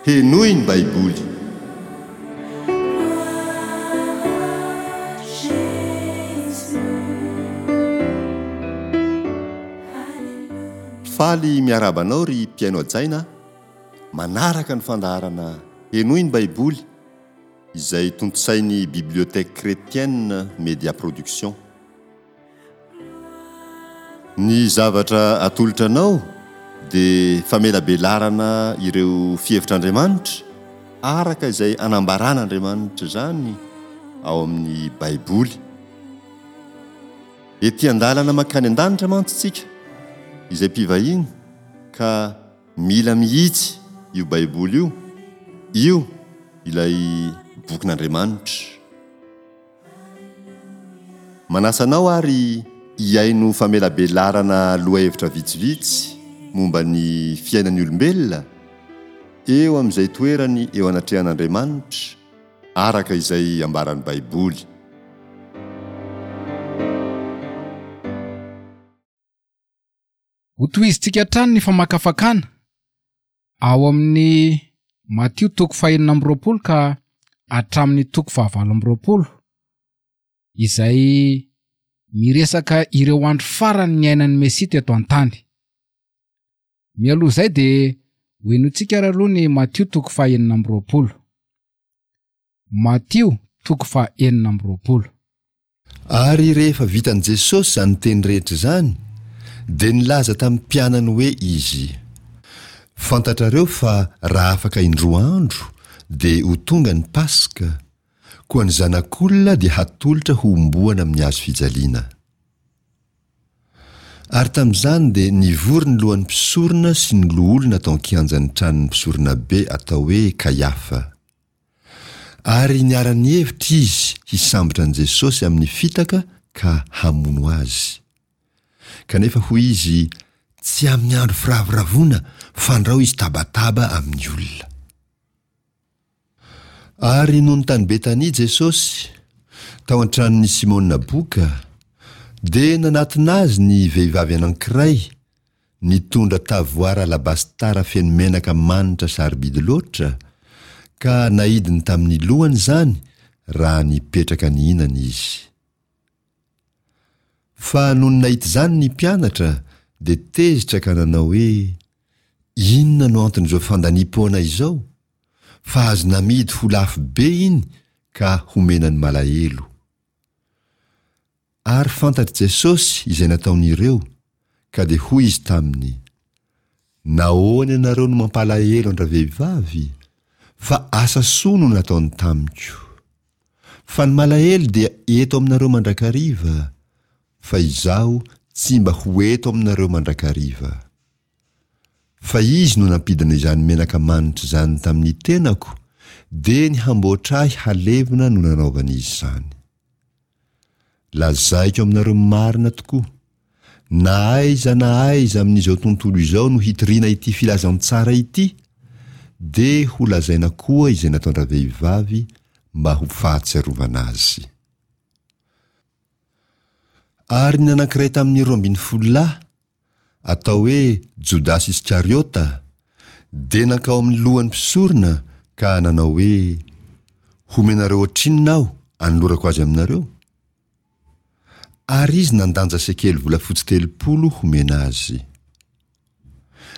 Henoy ny Baiboly. Faly miarahaba anao ry mpihaino hajaina manaraka ny fandaharana Henoy ny Baiboly izay tontosain'ny Bibliothèque Chrétienne Média Production. Ny zavatra atolotra anao dia famelabelarana ireo fihevitr'Andriamanitra araka izay anambaran'Andriamanitra izany ao amin'ny Baiboly. Ety an-dalana mankany an-danitra mantsy isika izay mpivahiny ka mila mihitsy io Baiboly io, io ilay bokin'Andriamanitra. Manasa anao ary hihaino famelabelarana lohahevitra vitsivitsy momba ny fiainan'ny olombelona eo amin'izay toerany eo anatrehan'Andriamanitra araka izay ambaran'ny Baiboly. Hotohizintsika hatrany ny famakafakana ao amin'ny Matio toko fahenina amby roapolo ka hatramin'ny toko fahavalo amby roapolo, izay miresaka ireo andro farany niainan'ny Mesia teto an-tany. Mialoha izay dia hohenointsika ary aloha ny Matio toko fahenina amby roapolo. Matio toko faha 26. Ary rehefa vitan'i Jesosy izany teny rehetra izany, dia nilaza tamin'ny mpianany hoe Izy, Fantatrareo fa raha afaka indroa andro dia ho tonga ny Paska, koa ny Zanak'olona dia hatolotra hohomboana amin'ny hazo fijaliana. Ary tamin'izany dia nivory ny lohan'ny mpisorona sy ny loholona tao an-kianjan'ny tranon'ny mpisoronabe atao hoe Kaiafa. Ary niara-nihevitra izy hisambotra an'i Jesosy amin'ny fitaka ka hamono azy. Kanefa hoy izy, Tsy amin'ny andro firavoravoana, fandrao izy tabataba amin'ny olona. Ary nony tany Betania Jesosy, tao an-tranon'i Simona boka, dia nanatona azy ny vehivavy anankiray, Nitondra tavoara alabastara feno menaka manitra sarobidy loatra, ka naidiny tamin'ny lohany izany raha nipetraka nihinana izy. Fa nony nahita izany ny mpianatra dia tezitra ka nanao hoe, Inona no anton'izao fandaniam-poana izao? Fa azo namidy ho lafo be iny ka homena ny malahelo. Ary fantatr'i Jesosy izay nataon'ireo, ka dia hoy Izy taminy, Nahoana ianareo no mampalahelo an-dravehivavy? Fa asa soa no nataony tamiko. Fa ny malahelo dia eto aminareo mandrakariva, fa Izaho tsy mba ho eto aminareo mandrakariva. Fa Izy no nampidina izany menaka manitra izany tamin'ny tenako, dia ny hamboatra ahy halevina no nanaovany izany. Lazaiko aminareo marina tokoa, na aiza na aiza amin'izao tontolo izao no hitoriana ity filazantsara ity, dia ho lazaina koa izay nataon-dravehivavy mba ho fahatsiarovana azy. Ary ny anankiray tamin'ny 12 lahy, atao hoe Jodasy Iskariota, dia nankao amin'ny lohan'ny mpisorona ka nanao hoe, Homenareo ohatrinona aho anolorako azy aminareo? Ary izy nandanja sekely volafotsy 30 homena azy.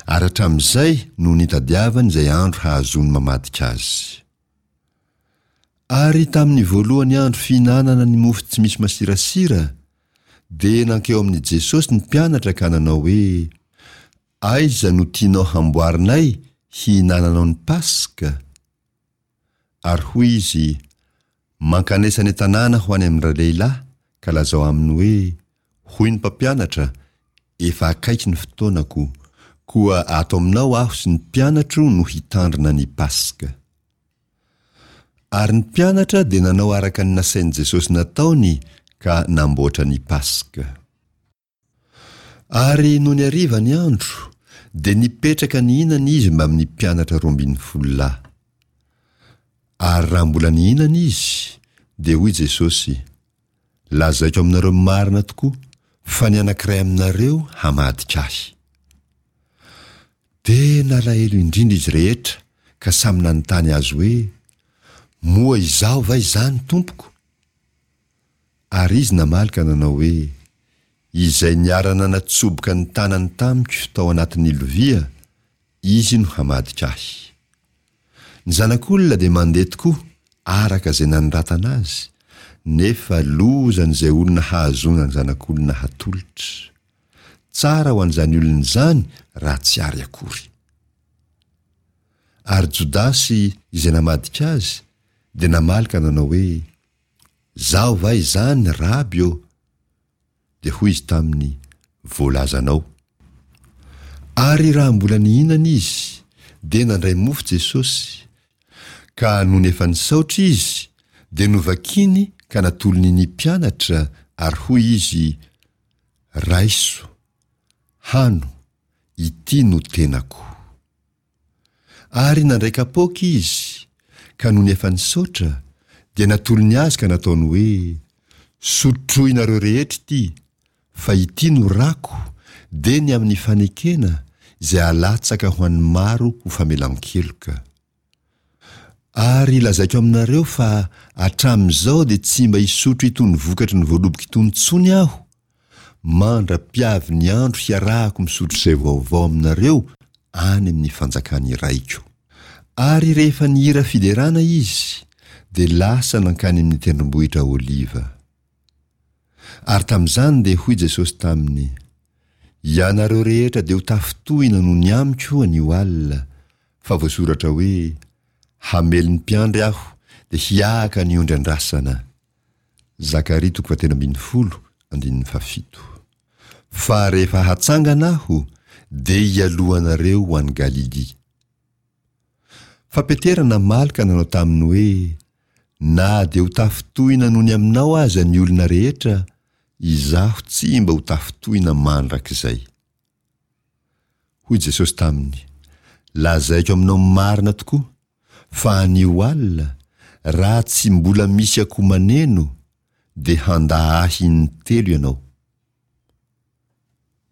Ary hatramin'izay no nitadiavany izay andro hahazoany mamadika azy. Ary tamin'ny voalohany andro fihinanana ny mofo tsy misy masirasira, dia nankeo amin'i Jesosy ny mpianatra ka nanao hoe, Aiza no tianao hamboarinay hihinananao ny Paska? Ary hoy Izy, Mankanesa any an-tanàna ho any amin-dralehilahy, ka lazao aminy hoe, Hoy ny Mpampianatra, Efa akaiky ny fotoanako, koa ato aminao Aho sy ny mpianatro no hitandrina ny Paska. Ary ny mpianatra dia nanao araka ny nasain'i Jesosy nataony ka namboatra ny Paska. Ary nony hariva ny andro, dia nipetraka nihinana izy mbamin'ny mpianatra 12 lahy. Ary raha mbola nihinana izy, dia hoy Jesosy, Lazaiko aminareo marina tokoa fa ny anankiray aminareo hamadika Ahy. Dia nalahelo indrindra izy rehetra. ka samy nanontany azy hoe, Moa izaho va izany, Tompoko? Ary izy namaly ka nanao hoe, Izay niara-nanatsoboka ny tanany tamiko tao anatin'ny lovia, izy no hamadika ahy. Ny Zanak'olona dia mandeha tokoa araka izay nanoratana azy, nefa lozan'izay olona hahazoana ny Zanak'olona hatolotra. Tsara ho an'izany olona izany raha tsy ary akory. Ary Jodasy izay namadika azy dia namaly ka nanao hoe, Zaho va izany, Raby ô? Dia hoy izy taminy, Voalazanao. Ary raha mbola nihinana izy, dia nandray mofo Jesosy, ka nony efa nisaotra izy, dia novakiny ka natolony ny mpianatra, ary hoy izy, Raiso, hano, ity no tenako. Ary nandray kapoaka izy, ka nony efa nisaotra, dia natolony azy ka nataony hoe, Sotroinareo rehetra ity, fa ity no rako, dia ny amin'ny fanekena, izay alatsaka ho an'ny maro ho famelan-keloka. Ary lazaiko aminareo fa hatramin'izao dia tsy mba hisotro itony vokatry ny voaloboka itony intsony aho, mandra-piavy ny andro hiarahako misotro izay vaovao aminareo any amin'ny fanjakan'ny Raiko. Ary rehefa nihira fiderana izy, dia lasa nankany amin'ny tendrombohitra Oliva. Ary tamin'izany dia hoy Jesosy taminy, Ianareo rehetra dia ho tafintohina noho ny amiko anio alina, fa voasoratra hoe, Hamely ny mpiandry aho, dia hiahaka ny ondry andrasana. Zakaria toko fahatelo ambin'ny folo, andininy fahafito. Fa rehefa hatsangana aho, dia hialoha anareo ho any Galilia. Fa Petera namaly ka nanao taminy hoe, Na dia ho tafintohina noho ny aminao aza ny olona rehetra, izaho tsy mba ho tafintohina mandrakizay. Hoy Jesosy taminy, Lazaiko aminao marina tokoa, fa anio alina, raha tsy mbola misy akoho maneno, dia handà Ahy intelo ianao.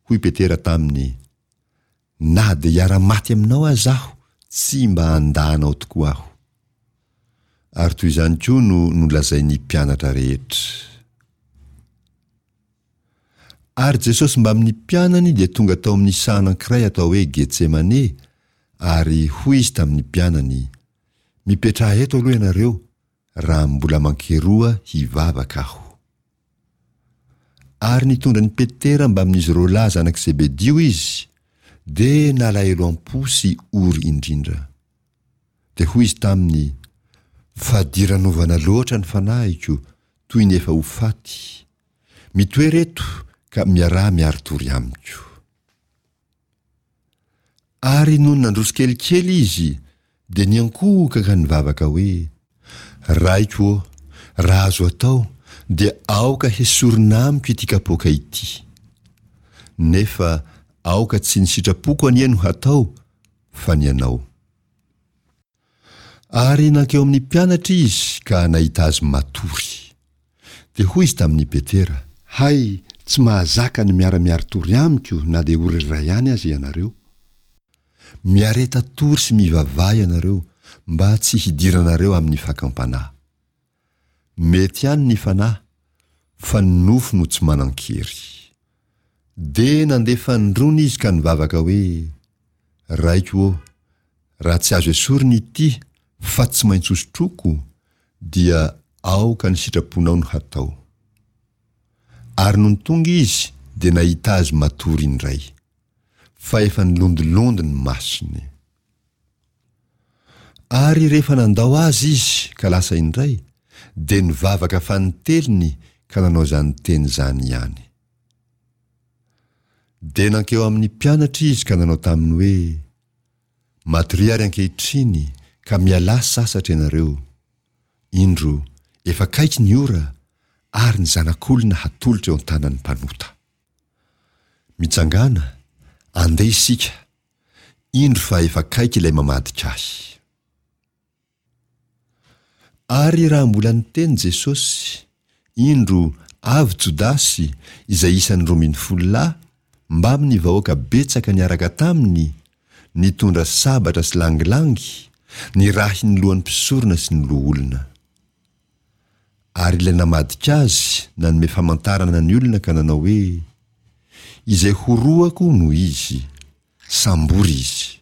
Hoy Petera taminy, Na dia hiara-maty aminao aza aho, tsy mba handà anao tokoa aho. Ary toy izany koa no nolazain'ny mpianatra rehetra. Ary Jesosy mbamin'ny mpianany dia tonga tao amin'ny saha anankiray atao hoe Getsemane, ary hoy Izy tamin'ny mpianany, Mipetraha eto aloha ianareo, raha mbola mankeroa hivavaka Aho. Ary nitondra an'i Petera mbamin'izy roalahy zanak'i Zebedio Izy, dia nalahelo am-po sy ory indrindra. Dia hoy Izy taminy, Fadiranovana loatra ny fanahiko, toy ny efa ho faty. Mitoera eto ka miaraha miari-tory amiko. Ary nony nandroso kelikely izy, dia niankohoka ka nivavaka hoe, Raiko ô, raha azo atao, dia aoka hesorina amiko ity kapoaka ity. Nefa aoka tsy ny sitrapoko anie no hatao, fa ny anao. Ary nankeo amin'ny mpianatra izy ka nahita azy matory. Dia hoy izy tamin'i Petera. Hay, tsy mahazaka ny miara-miari-tory amiko na dia ora iray ihany aza ianareo. Miareta tory sy mivavaha ianareo mba tsy hidiranareo amin'ny fakam-panahy. Mety ihany ny fanahy, fa ny nofo no tsy manan-kery. Dia nandeha fanindroany izy ka nivavaka hoe, Raiko ô, raha tsy azo esorina ity fa tsy maintsy hosotroiko, dia aoka ny sitraponao no hatao. Ary nony tonga izy dia nahita azy matory indray, fa efa nilondilondy ny masony. Ary rehefa nandao azy izy ka lasa indray, dia nivavaka fanintelony ka nanao izany teny izany ihany. Dia nankeo amin'ny mpianatra izy ka nanao taminy hoe, Matoria ary ankehitriny ka mialà sasatra ianareo. Indro, efa akaiky ny ora, ary ny Zanak'olona hatolotra eo an-tanan'ny mpanota. Mitsangàna, andeha isika, indro fa efa akaiky ilay mamadika ahy. Ary raha mbola niteny Jesosy, indro, avy Jodasy, izay isan'ny 12 lahy, mbamin'ny vahoaka betsaka niaraka taminy, nitondra sabatra sy langilangy, Nirahin'ny lohan'ny mpisorona sy ny loholona. Ary ilay namadika azy nanome famantarana ny olona ka nanao hoe, Izay horohako no izy, sambory izy.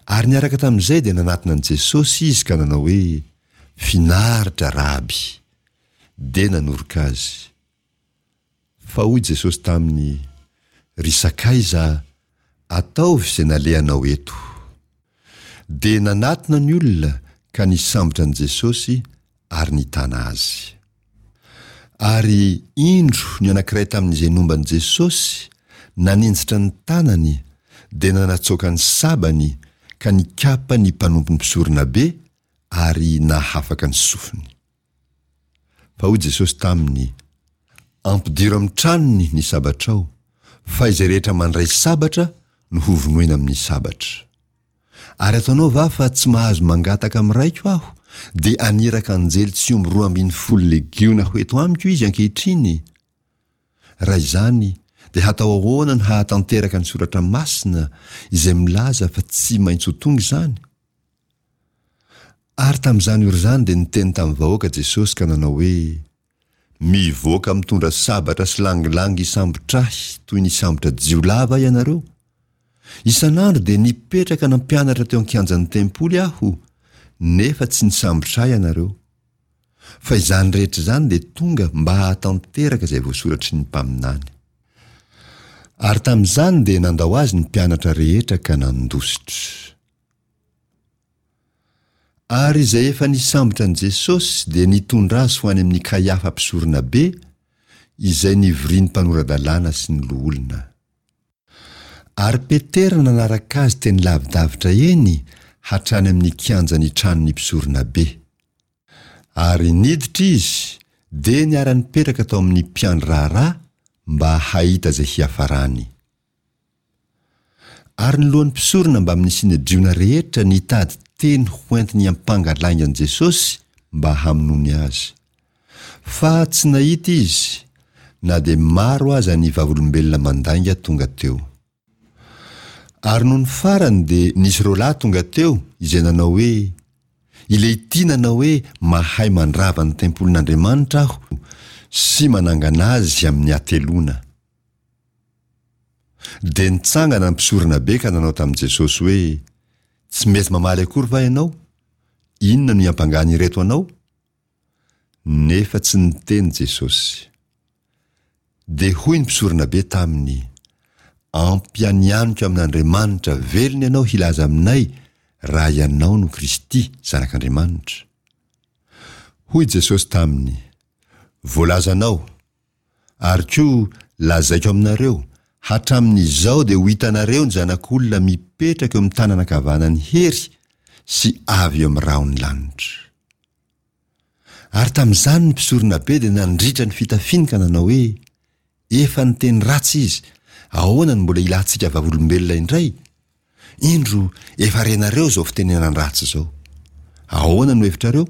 Ary niaraka tamin'izay dia nanatona an'i Jesosy izy ka nanao hoe, Finaritra, Raby! Dia nanoroka azy. Fa hoy Jesosy taminy, Ry sakaiza, ataovy izay nalehanao eto. Dia nanatona ny olona ka nisambotra an'i Jesosy ary nitana azy. Ary indro ny anankiray tamin'izay nomba an'i Jesosy naninjitra ny tanany dia nanatsoaka ny sabany ka nikapa ny mpanompon'ny mpisoronabe ary nahafaka ny sofiny. Fa hoy Jesosy taminy, Ampidiro amin'ny tranony ny sabatrao, fa izay rehetra mandray sabatra no hovonoina amin'ny sabatra. Ary ataonao va fa tsy mahazo mangataka amin'ny Raiko Aho, dia haniraka anjely tsy omby 12 legiona ho eto amiko izy ankehitriny? Raha izany, dia hatao ahoana no hahatanteraka ny Soratra Masina izay milaza fa tsy maintsy ho tonga izany? Ary tamin'izany ora izany dia niteny tamin'ny vahoaka Jesosy ka nanao hoe, Mivoaka mitondra sabatra sy langilangy hisambotra ahy toy ny hisambotra jiolahy va ianareo? Isan'andro dia nipetraka nampianatra teo an-kianjan'ny tempoly aho, nefa tsy nisambotra ahy ianareo. Fa izany rehetra izany dia tonga mba hahatanteraka izay voasoratry ny mpaminany. Ary tamin'izany dia nandao azy ny mpianatra rehetra ka nandositra. Ary izay efa nisambotra an'i Jesosy dia nitondra azy ho any amin'i Kaiafa mpisoronabe, izay nivorian'ny mpanora-dalàna sy ny loholona. Ary Petera nanaraka azy teny lavidavitra eny hatrany amin'ny kianjan'ny tranon'ny mpisoronabe. Ary niditra izy, dia niara-nipetraka tao amin'ny mpiandry raharaha mba hahita izay hiafarany. Ary ny lohan'ny mpisorona mbamin'ny Synedriona rehetra nitady teny hoentiny hiampanga lainga an'i Jesosy mba hamonoany azy. Fa tsy nahita izy, na dia maro aza ny vavolombelona mandainga tonga teo. Ary nony farany dia nisy roalahy tonga teo izay nanao hoe, Ilehity nanao hoe mahay mandrava ny tempolin'Andriamanitra aho sy manangana azy amin'ny hateloana. Dia nitsangana ny mpisoronabe ka nanao tamin'i Jesosy hoe, Tsy mety mamaly akory va ianao? Inona no iampangan'ireto anao? Nefa tsy niteny Jesosy. Dia hoy ny mpisoronabe taminy, Ampianianiko amin'Andriamanitra velona ianao hilaza aminay raha ianao no Kristy, Zanak'Andriamanitra. Hoy Jesosy taminy, Voalazanao, Ary koa lazaiko aminareo, hatramin'izao dia ho hitanareo ny Zanak'olona mipetraka eo amin'ny tanana ankavanan'ny hery sy avy eo amin'ny rahon'ny lanitra. Ary tamin'izany ny mpisoronabe dia nandritra ny fitafiany ka nanao hoe, Efa niteny ratsy izy, ahoana no mbola ilantsika vavolombelona indray? Indro, efa renareo izao fitenenan-dratsy izao. Ahoana no hevitrareo?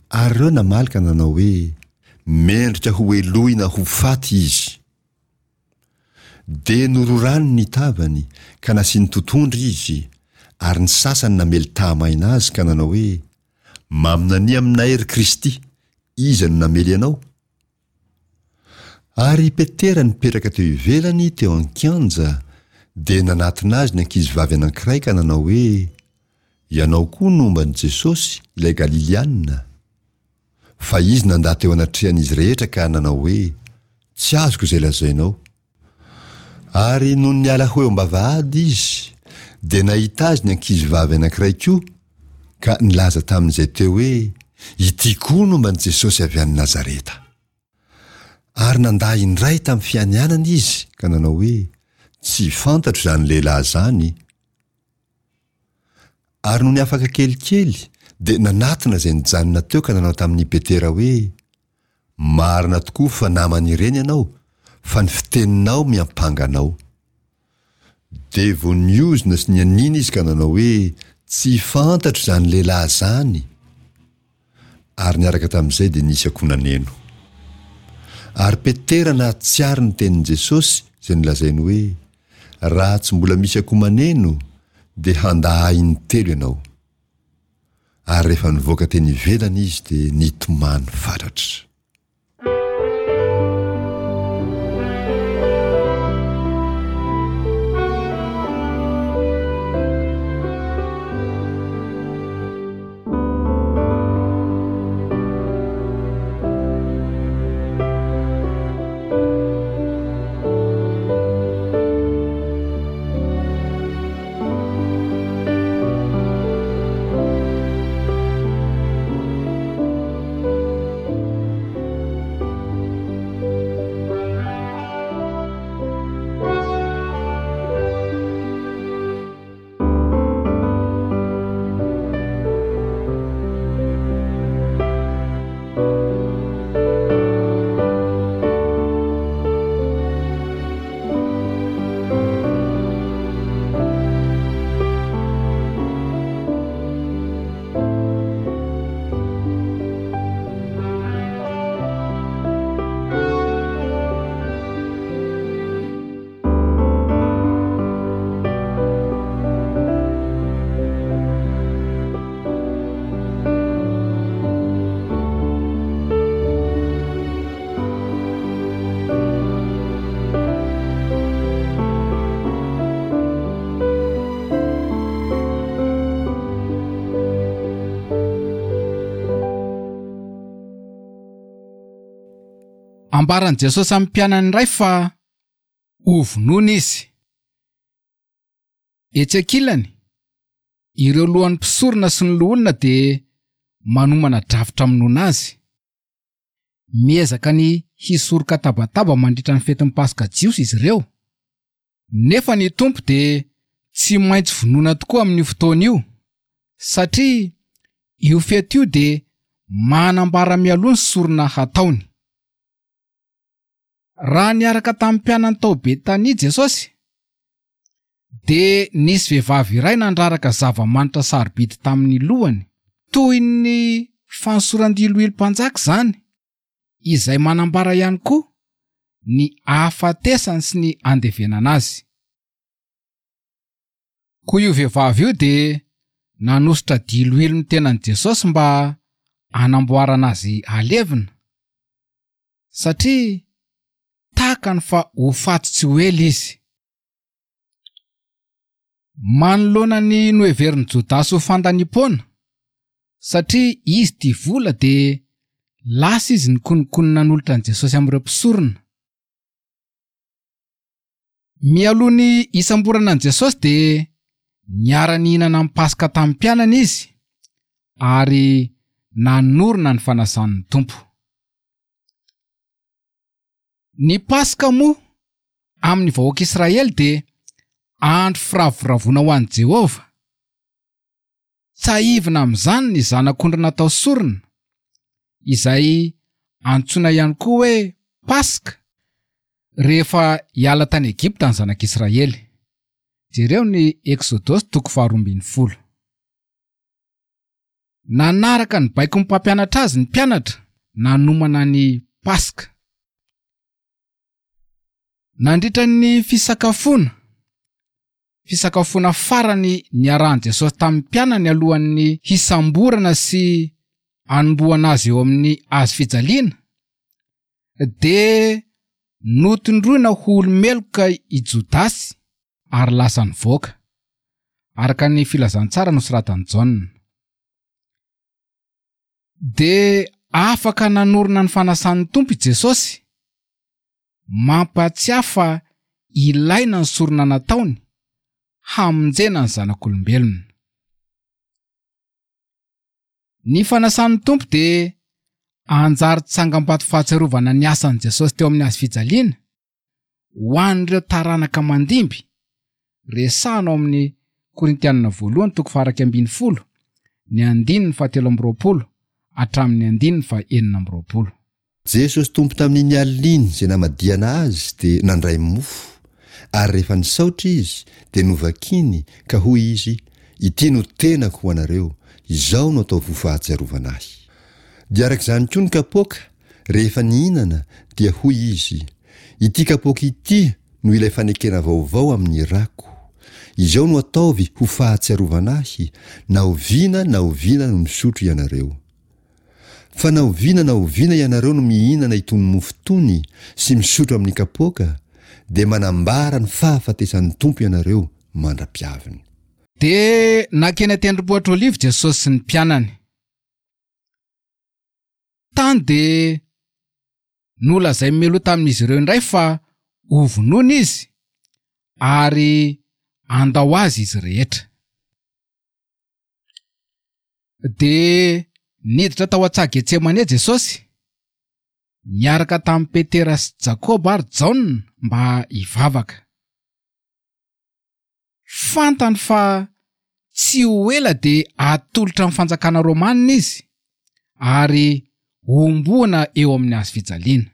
Ary ireo namaly ka nanao hoe, Mendrika ho helohina ho faty izy. Dia nororany ny tavany, ka nasiany totohondry izy, ary ny sasany namely tahamaina azy ka nanao hoe, Maminania aminay, ry Kristy, iza no namely anao? Ary i Petera nipetraka teo ivelany teo an-kianja, dia nanatona azy ny ankizivavy anankiray ka nanao hoe, Ianao koa nomba an'i Jesosy, ilay Galiliana. Fa izy nandà teo anatrehan'izy rehetra ka nanao hoe, Tsy azoko izay lazainao. Ary nony niala ho eo am-bavahady izy, dia nahita azy ny ankizivavy anankiray koa, ka nilaza tamin'izay teo hoe, Ity koa nomba an'i Jesosy avy any Nazareta. Ary nandà indray tamin'ny fianianana izy ka nanao hoe, Tsy fantatro izany lehilahy izany. Ary nony afaka kelikely, dia nanatona izay nijanona teo ka nanao tamin'i Petera hoe, Marina tokoa fa naman'ireny ianao, fa ny fiteninao miampanga anao. Dia vao niozona sy nianiana izy ka nanao hoe, Tsy fantatro izany lehilahy izany. Ary niaraka tamin'izay dia nisy akoho naneno. Ary Petera nahatsiaro ny tenin'i Jesosy izay nolazainy hoe, Raha tsy mbola misy akoho maneno, dia handà Ahy intelo ianao. Ary rehefa nivoaka teny ivelany izy dia nitomany fatratra. Ambaran'i Jesosy amin'ny mpianany iray fa hovonoina izy. Etsy ankilany, ireo lohan'ny mpisorona sy ny loholona dia manomana drafitra hamonoana azy. Miezaka ny hisoroka tabataba mandritra ny fetin'ny Paska jiosy izy ireo. Nefa ny Tompo dia tsy maintsy vonoina tokoa amin'io fotoana io, satria io fety io dia manambara mialoha ny sorona hataony. Raha niaraka tamin'ny mpianany tao Betania Jesosy, dia nisy vehivavy iray nandraraka zava-manitra sarobidy tamin'ny lohany, toy ny fanosoran-diloilo mpanjaka izany, izay manambara ihany koa ny ahafatesany sy ny andevenana azy. Koa io vehivavy io dia nanosotra diloilo ny tenan'i Jesosy mba hanamboarana azy halevina. Satria takany fa ho faty tsy ho ela izy. Manoloana ny noheverin'i Jodasy ho fandaniam-poana, satria izy tia vola dia lasa izy nikonokono nanolotra an'i Jesosy amin'ireo mpisorona. Mialoha ny hisamborana an'i Jesosy dia niara-nihinana ny Paska tamin'ny mpianany izy ary nanorina ny fanasan'ny Tompo. Ny Paska moa amin'ny vahoaka Israely dia andro firavoravoana ho an'i Jehovah. Tsahivina amin'izany ny zanak'ondry natao sorona, izay antsoina ihany koa hoe Paska, rehefa hiala tany Egypta ny zanak'Israely. Jereo ny Eksodosy toko faharoambinifolo. Nanaraka ny baikon'ny mpampianatra azy ny mpianatra nanomana ny Paska. Nandritra ny fisakafoana, fisakafoana farany niarahan'i Jesosy tamin'ny mpianany alohan'ny hisamborana sy hanombohana azy eo amin'ny hazo fijaliana, dia notondroina ho olo-meloka i Jodasy ary lasa nivoaka, araka ny filazantsara nosoratan'i Jaona. Dia afaka nanorina ny fanasan'ny Tompo i Jesosy, mampahatsiahy fa ilaina ny sorona nataony hamonjena ny zanak'olombelona. Ny fanasan'ny Tompo dia anjary tsangambato fahatsiarovana ny asan'i Jesosy teo amin'ny hazo fijaliana, ho an'ireo taranaka mandimby, resahana ao amin'ny Korintianina voalohany toko faha-11, ny andininy fahatelo amby 20 hatramin'ny andininy faha-26. Jesosy Tompo tamin'iny alina iny izay namadihana Azy dia nandray mofo, ary rehefa nisaotra Izy dia novakiny ka hoy Izy, Ity no tenako ho anareo, izao no ataovy ho fahatsiarovana Ahy. Dia araka izany koa ny kapoaka, Rehefa nihinana, dia hoy izy, Ity kapoaka ity no ilay fanekena vaovao amin'ny rako. Izao no ataovy ho fahatsiarovana Ahy, na oviana na oviana no misotro ianareo. Fa na oviana na oviana ianareo no mihinana itony mofo itony sy misotro amin'ny kapoaka, dia manambara ny fahafatesan'ny Tompo ianareo mandra-piaviny. Dia nankeny an-tendrombohitra Oliva Jesosy sy ny mpianany. Tany dia nolazain'i Meloa tamin'izy ireo indray fa hovonoina izy ary handao azy izy rehetra. Dia niditra tao an-tsaha Getsemane Jesosy, niaraka tamin'i Petera sy Jakoba ary Jaona mba hivavaka. Fantany fa tsy ho ela dia hatolotra amin'ny fanjakana romanina izy ary hohomboana eo amin'ny hazo fijaliana.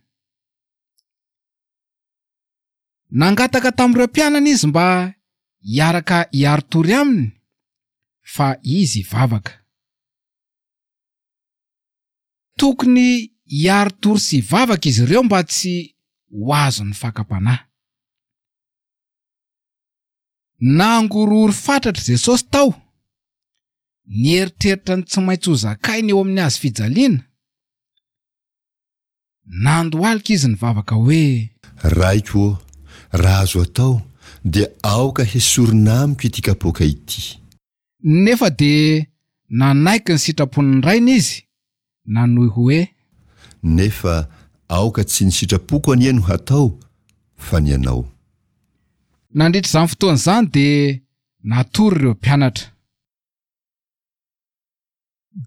Nangataka tamin'ireo mpianany izy mba hiaraka hiari-tory aminy fa izy hivavaka. Tokony hiari-tory sy hivavaka izy ireo mba tsy ho azon'ny fakam-panahy. Nangorohoro fatratra Jesosy tao, nieritreritra ny tsy maintsy ho zakainy eo amin'ny hazo fijaliana. Nandohalika izy nivavaka hoe. Raiko ô, raha azo atao, dia aoka hesorina amiko ity kapoaka ity. Nefa dia nanaiky ny sitrapon'ny Rainy izy, nanohy hoe. Nefa aoka tsy ny sitrapoko anie no hatao, fa ny Anao. Nandritra izany fotoana izany dia natory ireo mpianatra.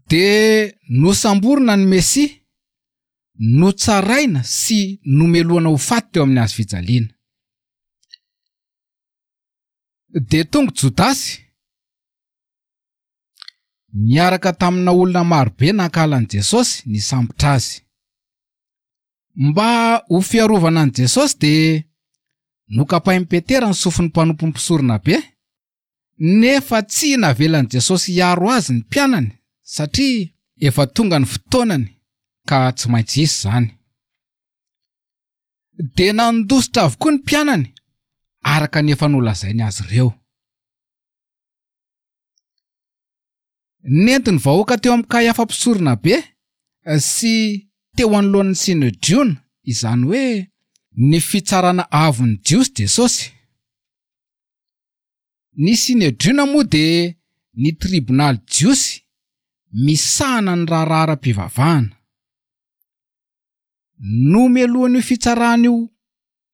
Dia nosamborina ny Mesia, notsaraina sy nomelohana ho faty teo amin'ny hazo fijaliana. Dia tonga Jodasy, niaraka tamina olona marobe nankahala an'i Jesosy nisambotra azy. Mba ho fiarovana an'i Jesosy dia nokapain'i Petera ny sofin'ny mpanompon'ny mpisoronabe, nefa tsy navelan'i Jesosy hiaro azy ny mpianany satria efa tonga ny fotoanany ka tsy maintsy hisy izany. Dia nandositra avokoa ny mpianany araka ny efa nolazainy azy ireo. Nentin'ny vahoaka teo amin'i Kaiafa mpisoronabe sy teo anoloan'ny Synedriona, izany hoe ny fitsarana avon'ny Jiosy Jesosy. Ny Synedriona moa dia ny tribonaly jiosy misahana ny raharaha ara-pivavahana. Nomelohin'io fitsarana io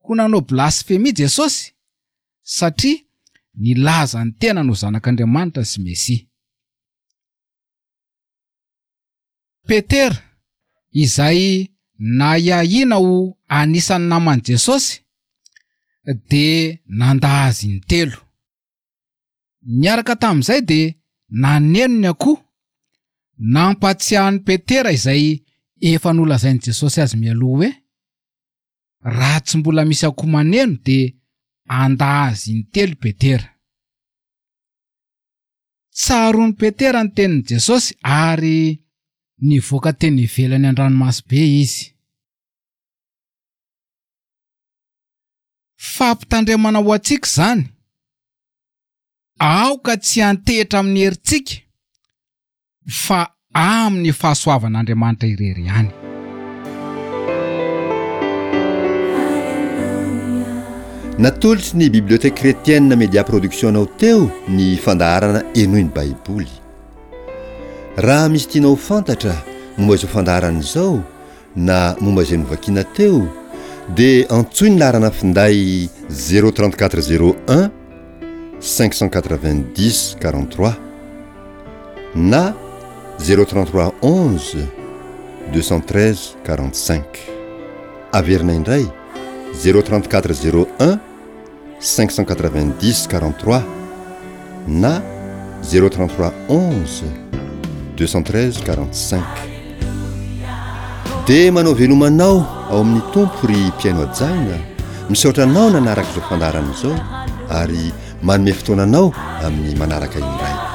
ho nanao blasfemia Jesosy satria nilaza ny tenany ho Zanak'Andriamanitra sy Mesia. Petera, izay nahiahiana ho anisan'ny naman'i Jesosy, dia nandà azy intelo. Niaraka tamin'izay dia naneno ny akoho, nampahatsiahy an'i Petera izay efa nolazain'i Jesosy azy mialoha hoe, Raha tsy mbola misy akoho maneno dia handà azy intelo Petera. Tsaroan'i Petera ny tenin'i Jesosy ary nivoaka teny ivelany an-dranomaso-be izy. Fampitandremana ho antsika izany, aoka tsy hiantehitra amin'ny herintsika fa amin'ny fahasoavan'Andriamanitra irery ihany. Natolotry ny Bibliothèque Chrétienne Media Production anao teo ny fandaharana Henoy ny Baiboly. Raha misy tianao ho fantatra momba izao fandaharana izao na momba izay novakiana teo dia antsoy ny laharana finday 034 01 590 43 na 033 11 213 45 averina indray 034 01 590 43 na 033 11 213 45. Dia manao veloma anao ao amin'ny Tompo ry mpihaino hajaina, misaotra anao nanaraka izao fandaharana izao ary manome fotoana anao amin'ny manaraka indray.